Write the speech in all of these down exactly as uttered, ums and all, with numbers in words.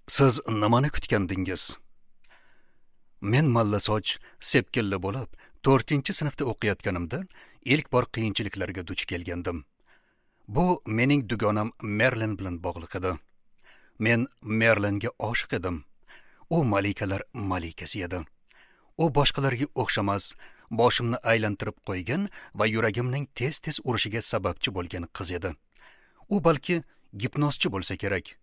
Siz nimani kutgandingiz? Men mallasoch, sepkilli bo'lib, to'rtinchi sinfda o'qiyotganimda ilk bor qiyinchiliklarga duch kelgandim. Bu mening dugonam Merlin bilan bog'liq edi. Men Merlinga oshiq edim. U malikalar malikasi edi. U boshqalarga o'xshamas, boshimni aylantirib qo'ygan va yuragimning tez-tez urishiga sababchi bo'lgan qiz edi. U balki gipnozchi bo'lsa kerak.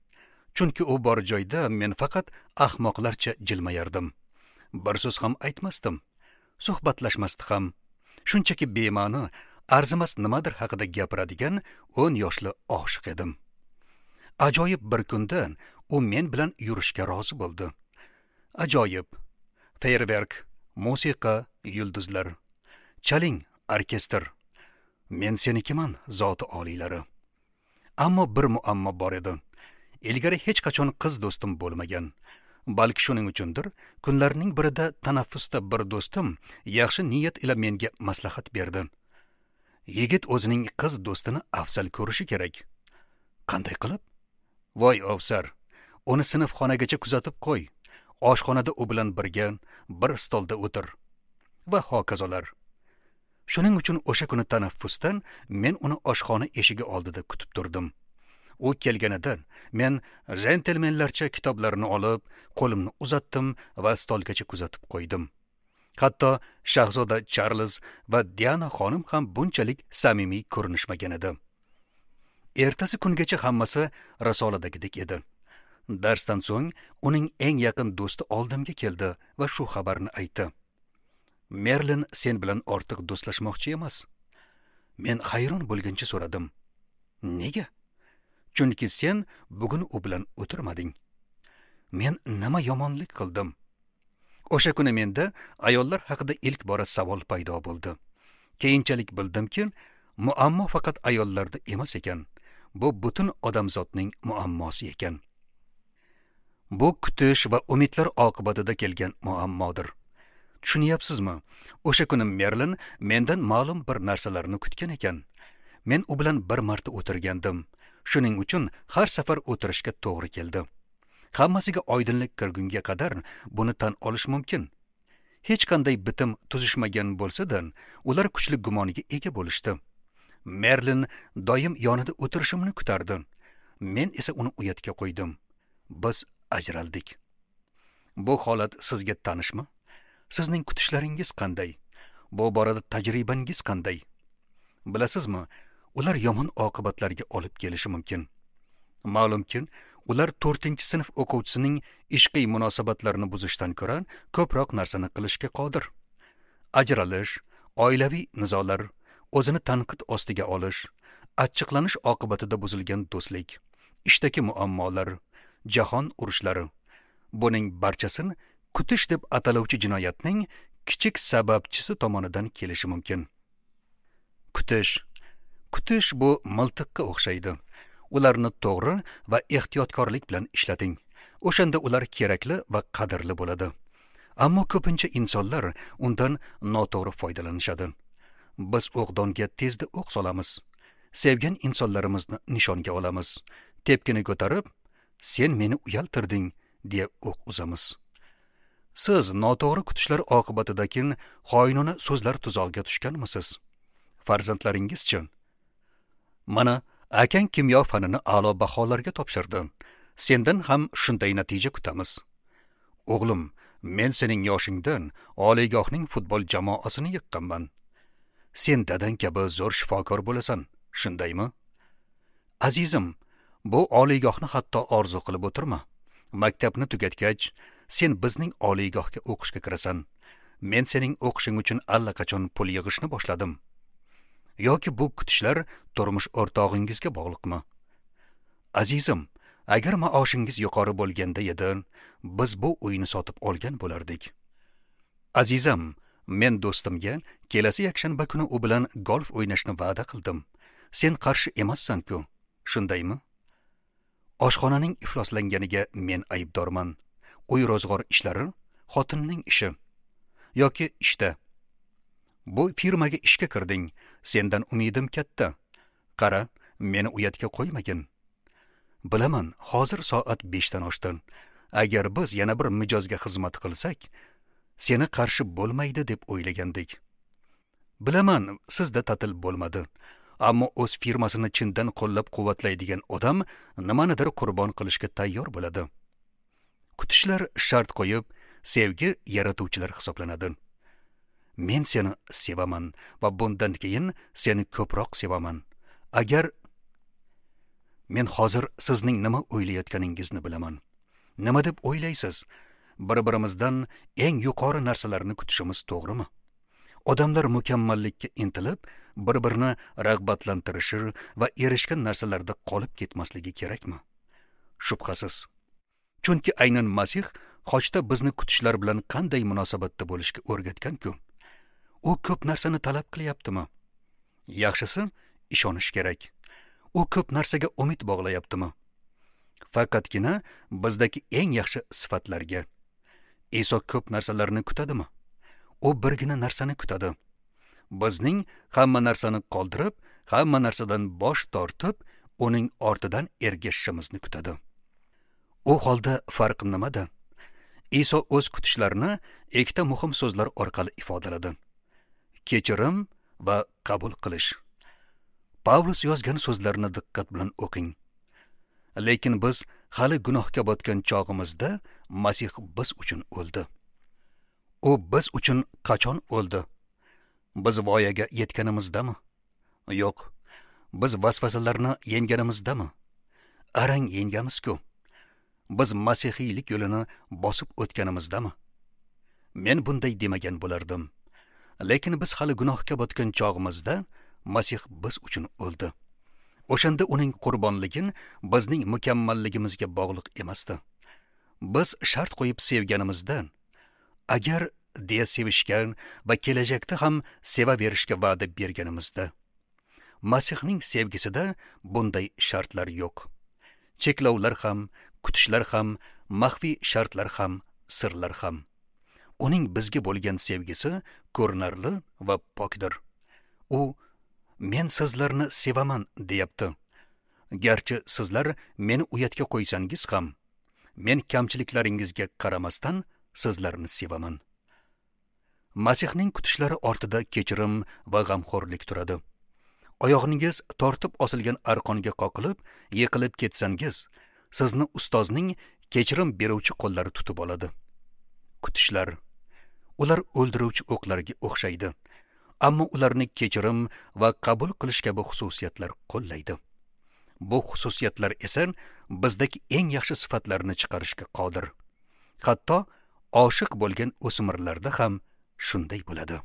Chunki u bor joyda men faqat ahmoqlarcha jilmayardim. Bir so'z ham aytmasdim. Suhbatlashmasdi ham. Shunchaki bema'ni, arzimas nimadir haqida gapiradigan o'n yoshli oshiq edim. Ajoyib bir kunda u men bilan yurishga rozi bo'ldi. Ajoyib. Feyerverk, musiqa, yulduzlar. Chaling, orkestr. Men senikiman, zoti oliylari. Ammo bir muammo bor edi. Ilgari hech qachon qiz do'stim bo'lmagan. Balki shuning uchundir, kunlarning birida tanaffusda bir do'stim yaxshi niyat ila menga maslahat berdi. Yigit o'zining qiz do'stini afzal ko'rishi kerak. Qanday qilib? Voy ofsar, uni sinfxonagacha kuzatib qo'y. Oshxonada u bilan birga bir stolda o'tir va hokazolar. Shuning uchun o'sha kuni tanaffusdan men uni oshxona eshigi oldida kutib turdim. U kelganida men jentelmenlarcha kitoblarni olib, qo'limni uzatdim va stolgacha kuzatib qo'ydim. Hatto shahzoda Charlz va Diana xonim ham bunchalik samimiy ko'rinishmagan edi. Ertasi kungacha hammasi risoladagidek edi. Darsdan so'ng uning eng yaqin do'sti oldimga keldi va shu xabarni aytdi. Merlin sen bilan ortiq do'stlashmoqchi emas. Men hayron bo'lgancha so'radim. Nega? Chunki sen bugun u bilan o'tirmading. Men nima yomonlik qildim? O'sha kuni menda ayollar haqida ilk bora savol paydo bo'ldi. Keyinchalik bildimki, muammo faqat ayollarda emas ekan. Bu butun odamzodning muammosi ekan. Bu kutish va umidlar oqibatida kelgan muammodir. Tushunyapsizmi? O'sha kuni Merlin mendan ma'lum bir narsalarni kutgan ekan. Men u bilan bir marta o'tirgandim. Shuning uchun har safar o'tirishga to'g'ri keldi. Hammasiga oydinlik kirgunga qadar buni tan olish mumkin. Hech qanday bitim tuzishmagan bo'lsa-da, ular kuchli gumoniga ega bo'lishdi. Merlin doim yonida o'tirishimni kutardi. Men esa uni uyatga qo'ydim. Biz ajraldik. Bu holat sizga tanishmi? Sizning kutishlaringiz qanday? Bu borada tajribangiz qanday? Bilasizmi, ular yomon oqibatlarga olib kelishi mumkin. Ma'lumki, ular to'rtinchi sinf o'quvchisining ishqiy munosabatlarini buzishdan ko'ra ko'proq narsani qilishga qodir. Ajralish, oilaviy nizolar, o'zini tanqid ostiga olish, achchiqlanish oqibatida buzilgan do'stlik, ishdagi muammolar, jahon urushlari. Buning barchasini kutish deb ataluvchi jinoyatning kichik sababchisi tomonidan kelishi mumkin. Kutish Kutish bu miltiqqa o'xshaydi. Ularni to'g'ri va ehtiyotkorlik bilan ishlating. O'shanda ular kerakli va qadrli bo'ladi. Ammo ko'pincha insonlar undan noto'g'ri foydalanishadi. Biz o'qdonga tezda o'q solamiz. Sevgan insonlarimizni nishonga olamiz. Tepkini ko'tarib, "Sen meni uyaltirding" deya o'q uzamiz. Siz noto'g'ri kutishlar oqibatidagi xoinona so'zlar tuzog'iga tushganmisiz? Farzandlaringizchi? Mana akang kimyo fanini a'lo baholarga topshirdi. Sendan ham shunday natija kutamiz. O'g'lim, men sening yoshingdan oliygohning futbol jamoasini yiqqanman. Sen dadang kabi zo'r shifokor bo'lasan, shundaymi? Azizim, bu oliygohni hatto orzu qilib o'tirma. Maktabni tugatgach, sen bizning oliygohga o'qishga kirasan. Men sening o'qishing uchun allaqachon pul yig'ishni boshladim. Yoki bu kutishlar turmush o'rtog'ingizga bog'liqmi? Azizim, agar maoshingiz yuqori bo'lganda edi, biz bu uyni sotib olgan bo'lardik. Azizim, men do'stimga kelasi yakshanba kuni u bilan golf o'ynashni va'da qildim. Sen qarshi emassan-ku, shundaymi? Oshxonaning ifloslanganiga men aybdorman. Uy ro'zg'or ishlari xotinning ishi. Yoki ishda. Bu firmaga ishga kirding, sendan umidim katta. Qara, meni uyatga qo'ymagin. Bilaman, hozir soat beshdan oshdi. Agar biz yana bir mijozga xizmat qilsak, seni qarshi bo'lmaydi deb o'ylagandik. Bilaman, sizda ta'til bo'lmadi. Ammo o'z firmasini chindan qo'llab-quvvatlaydigan odam nimanidir qurbon qilishga tayyor bo'ladi. Kutishlar shart qo'yib, sevgi yaratuvchilar hisoblanadi. Men seni sevaman va bundan keyin seni ko'proq sevaman. Agar men hozir sizning nima o'ylayotganingizni bilaman. Nima deb o'ylaysiz? Bir-birimizdan eng yuqori narsalarni kutishimiz to'g'rimi? Odamlar mukammallikka intilib, bir-birini rag'batlantirishi va erishgan narsalarda qolib ketmasligi kerakmi? Shubhasiz. Chunki aynan Masih xochda bizni kutishlar bilan qanday munosabatda bo'lishga o'rgatgan-ku. U ko'p narsani talab qilyaptimi? Yaxshisi, ishonish kerak. U ko'p narsaga umid bog'layaptimi? Faqatgina bizdagi eng yaxshi sifatlarga. Iso ko'p narsalarni kutadimi? U birgina narsani kutadi. Bizning hamma narsani qoldirib, hamma narsadan bosh tortib, uning ortidan ergashishimizni kutadi. U holda farq nimada? Iso o'z kutishlarini ikkita muhim so'zlar orqali ifodaladi: kechirim va qabul qilish. Pavlus yozgan so'zlarni diqqat bilan o'qing. Lekin biz hali gunohga botgan chog'imizda Masih biz uchun o'ldi. U biz uchun qachon o'ldi? Biz voyaga yetganimizdami? Yo'q. Biz vasvasalarni yengganimizdami? Arang yengamiz-ku. Biz masihiylik yo'lini bosib o'tganimizdami? Men bunday demagan bo'lardim. Lekin biz hali gunohga botgan chog'imizda Masih biz uchun o'ldi. O'shanda uning qurbonligi bizning mukammalligimizga bog'liq emasdi. Biz shart qo'yib sevganimizda, agar deya sevishgan va kelajakda ham sevaverishga va'da berganimizda, Masihning sevgisida bunday shartlar yo'q. Cheklovlar ham, kutishlar ham, maxfiy shartlar ham, sirlar ham. Uning bizga bo'lgan sevgisi ko'rinarli va pokdir. U men sizlarni sevaman deyapti. Garchi sizlar meni uyatga qo'ysangiz ham, men kamchiliklaringizga qaramasdan sizlarni sevaman. Masihning kutishlari ortida kechirim va g'amxo'rlik turadi. Oyog'ingiz tortib osilgan arqonga qoqilib, yiqilib ketsangiz, sizni ustozning kechirim beruvchi qo'llari tutib oladi. Kutishlar, ular o'ldiruvchi o'qlarga o'xshaydi, ammo ularni kechirim va qabul qilish kabi xususiyatlar qo'llaydi. Bu xususiyatlar esa bizdagi eng yaxshi sifatlarni chiqarishga qodir. Hatto oshiq bo'lgan o'smirlarda ham shunday bo'ladi.